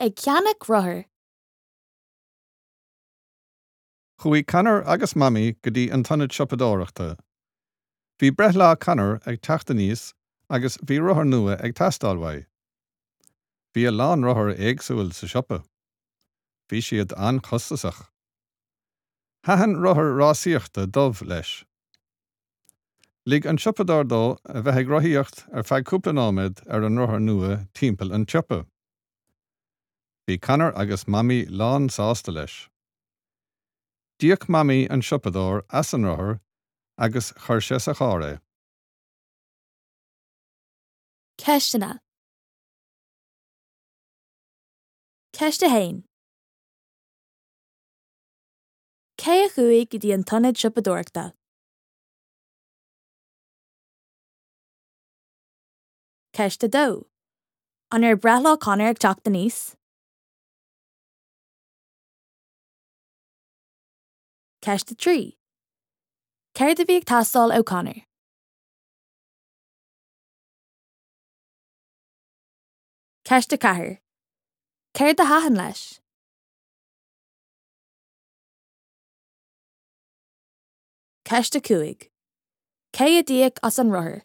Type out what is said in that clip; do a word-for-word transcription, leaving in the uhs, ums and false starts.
Ag ceannach rothar. Chuaigh Conor agus Mamaí go dtí an t-ionad siopadóireachta. Bhí breithlá Conor ag teacht aníos agus bhí rothar nua ag teastáil uaidh. Bhí a lán rothar éagsúil sa siopa. Bhí siad an-chostasach. Thaitin rothar rásaíochta dubh leis. Lig an siopadóir dó a bheith ag rothaíocht ar feadh cúpla nóiméad ar an rothar nua timpeall an tsiopa. Bhí Conor agus Mamaí lán sásta leis. D'íoc Mamaí an siopadóir as an rothar agus chuir sé sa charr é. Ceisteanna. Ceist a haon. Cé a chuaigh go dtí an t-ionad siopadóireachta? Ceist a dó. An raibh breithlá Conor ag teacht aníos? Ceist a trí. Céard a bhí ag teastáil ó Conor? Ceist a ceathair. Céard a thaitin leis? Ceist a cúig. Cé a d'íoc as an rothar?